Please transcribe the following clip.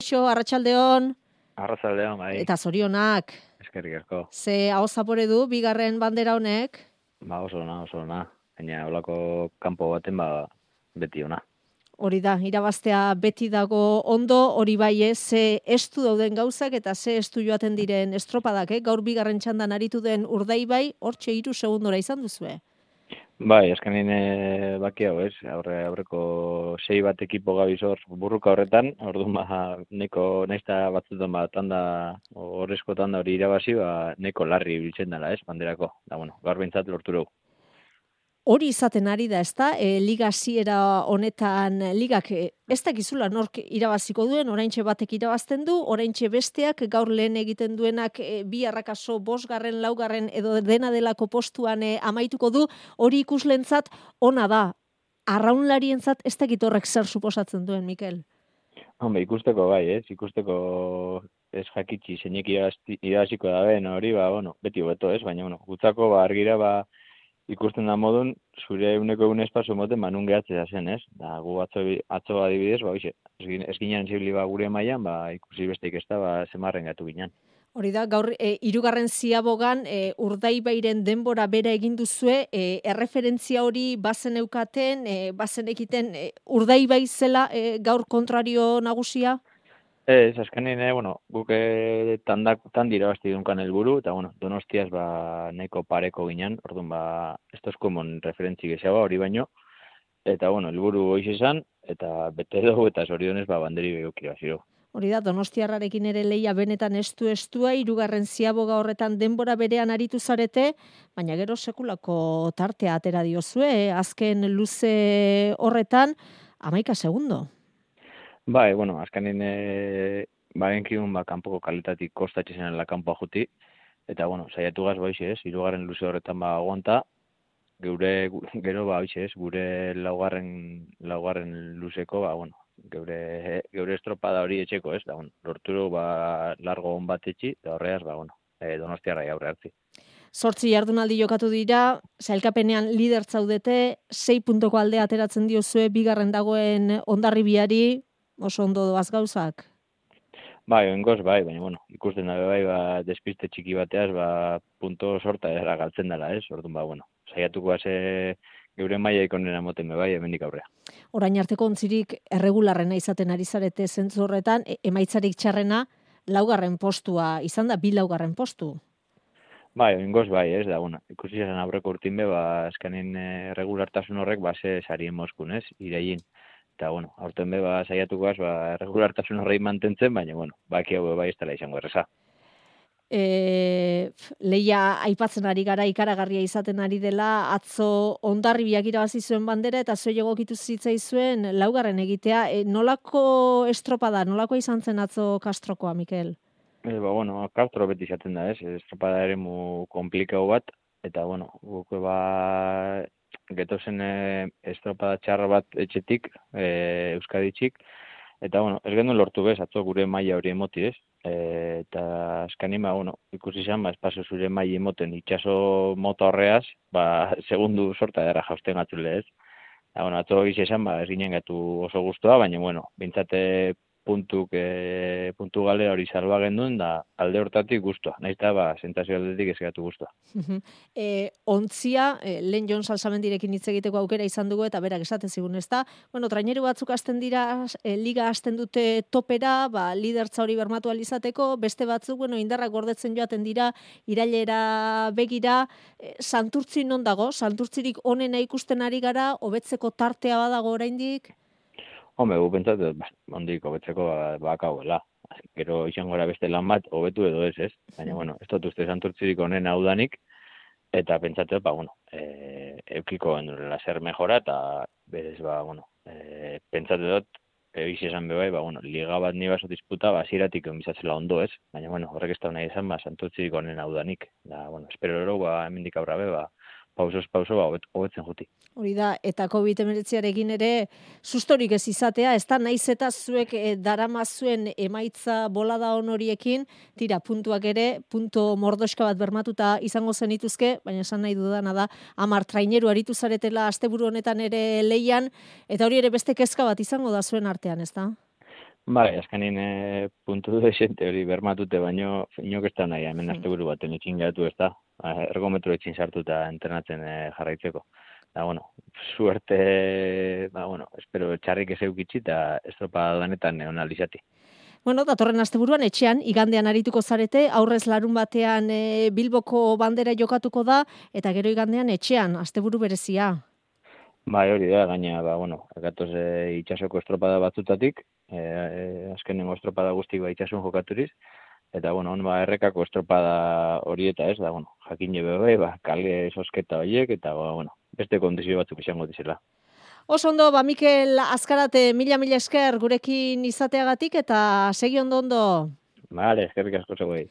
Kaixo, arratsaldeon. Arratsaldeon, bai. Eta zorionak. Eskerrik asko. Ze aho zapore du bigarren bandera honek? Oso ona. Baina holako kanpo baten beti ona. Hori da, irabaztea beti dago ondo, hori bai ze estu dauden gauzak eta ze estu joaten diren estropadak, Gaur bigarren txandan aritu den Urdaibai, hortxe 3 segundora izan duzue. Bai, azkenin baki hau, ez? Aurreko 6 bat ekipo gabizor burruka horretan, orduan neko naizta batzuetan tanda horrezko tanda hori irabazi, neko larri biltzen dela, ez? Banderako. Da gaur behintzat lortu dugu. Hori izaten ari da, ezta? Liga hasiera honetan ligak ez dakizula nork irabaziko duen, oraintxe batek irabazten du, oraintxe besteak gaur lehen egiten duenak bi arrakaso 5., 4. edo dena delako postuan amaituko du, hori ikuslentzat ona da. Arraunlarientzat ez dakit horrek zer suposatzen duen, Mikel. Ikusteko bai, ez? Ikusteko ez jakitsi zeinek irabaziko da ben hori, beti hobeto, ez? Baina, gutzako argira ikusten da modun, zure eguneko espazo moten nun gehatzea zen, ez? Da, gu atzo adibidez, ez ginen zibili gure mailan, ikusi besteik ez da, zemarren gatu ginen. Hori da, gaur 3. ziabogan Urdaibairen denbora bera egin duzue, erreferentzia hori bazen eukaten, bazen ekiten Urdaibai zela gaur kontrario nagusia? Ez, azkenin, guk tandira basti dunkan helburu, eta, Donostiaz neko pareko ginen, orduan, ez tozkomon referentzi gehiago hori baino, eta, helburu hoiz izan, eta bete dugu, eta zorionez, banderi behukira ziro. Hori da, Donostiarrarekin ere leia benetan estua, 3. ziaboga horretan denbora berean aritu zarete, baina gero sekulako tartea atera diozue, azken luze horretan, 11 segundo. Bai, azkenin bagenkidun kanpoko kalitatik kostatxe zenela kanpoa juti, eta, saiatu gaz ez, 3. luze horretan aguanta, gero ez, gure laugarren luzeko, geure estropada hori etxeko, ez, da, lorturo largo hon bat etxi, eta horreaz, Donostiarrai aurre hartzi. 8 jardunaldi jokatu dira, sailkapenean lider zaudete, 6 puntoko aldea ateratzen diozue, bigarren dagoen Hondarribiari, oso ondo doaz gauzak? Oingoz, baina, ikusten da, despiste txiki bateaz, punto sorta era galtzen dela, ez? Orduan, saiatuko geure mailaik onena moten hemendik aurrea. Orain arteko ontzirik erregularrena izaten ari zarete zentzu horretan, emaitzarik txarrena 4. postua, izan da 2 laugarren postu? Oingoz, ez da, ikusi zen aurreko urtin azkenin erregulartasun horrek, ze sarien moskun, ez? Iraien. Eta, aurten saiatuko erregulartasun horrei mantentzen, baina, baki hau ez dela izango erreza. Leia aipatzen ari gara ikaragarria izaten ari dela, atzo Hondarribiak irabazi zuen bandera eta zuei egokitu zitzaizuen 4. egitea. Nolako estropada, nolako izan zen atzo Castrokoa, Mikel? Castro beti izaten da, ez? Estropada eremu komplikau bat, eta, guk getozen estropada txarra bat etxetik, Euskaditxik, eta, ez genuen lortu bez, atzo gure maila hori emoti, ez? Eta azkanin, ikusi izan, espazio zure maila emoten itxaso mota horreaz, segundu sorta dara jausten atzule, ez? Atzo gizi esan, ez ginen gatu oso guztua, baina, bintzate puntu galera hori salba genduen, da alde hortatik guztua. Naiz eta sentazio aldetik ez gatu guztua. Ontzia, lehen Jon Salsamendirekin hitz egiteko aukera izan dugu, eta berak esaten zigun, ez da? Traineru batzuk hasten dira, liga hasten dute topera, lidertza hori bermatu alizateko, beste batzuk, indarrak gordetzen joaten dira, irailera begira, Santurtzi non dago? Santurtzirik onena ikusten ari gara, hobetzeko tartea badago oraindik? Gu pentsat, ondik hobetzeko bakauela. Gero izango gara beste lan bat, hobetu edo ez? Baina, ez dut uste Santurtzirik honen haudanik, eta pentsatu, eukiko gendurela zer mejora, eta berez, pentsatu dut, egiz esan bebai, liga bat ni baso disputa, ziratik enbizatzela ondo ez, baina, horrek ez da nahi esan, Santurtzirik honen haudanik. Da, espero ero, hemendik aurrabe, pauso hobetzen juti. Hori da, eta COVID-19arekin ere sustorik ez izatea, ez da naiz eta zuek daramazuen emaitza bolada horiekin, tira, puntuak ere, punto mordoska bat bermatuta izango zenituzke, baina esan nahi dudana da, 10 traineru aritu zaretela asteburu honetan ere leian, eta hori ere beste kezka bat izango da zuen artean, ez da? Bai, azkenin puntu desente hori bermatute, baino inok ez da nahi, hemen asteburu baten itxin geratu ez da, ergometro itxin sartuta entrenatzen jarraitzeko. Da, bueno, suerte, espero txarrik ez eukitzi eta estropa lanetan onalizati. Bueno, datorren asteburuan etxean, igandean arituko zarete, aurrez larun batean Bilboko bandera jokatuko da, eta gero igandean etxean, asteburu berezia. Bai, hori da, gaina, gatoz itxasoko estropada batzutatik, azkenengo estropada guztik itxasun jokaturiz, eta, errekako estropada hori eta ez, da, jakin jebe kale sosketa horiek, eta, beste kondizio batzuk izango dizela. Oso ondo, Mikel Azkarate, mila esker gurekin izateagatik, eta segi ondo. Bale, eskerrik asko zegoei.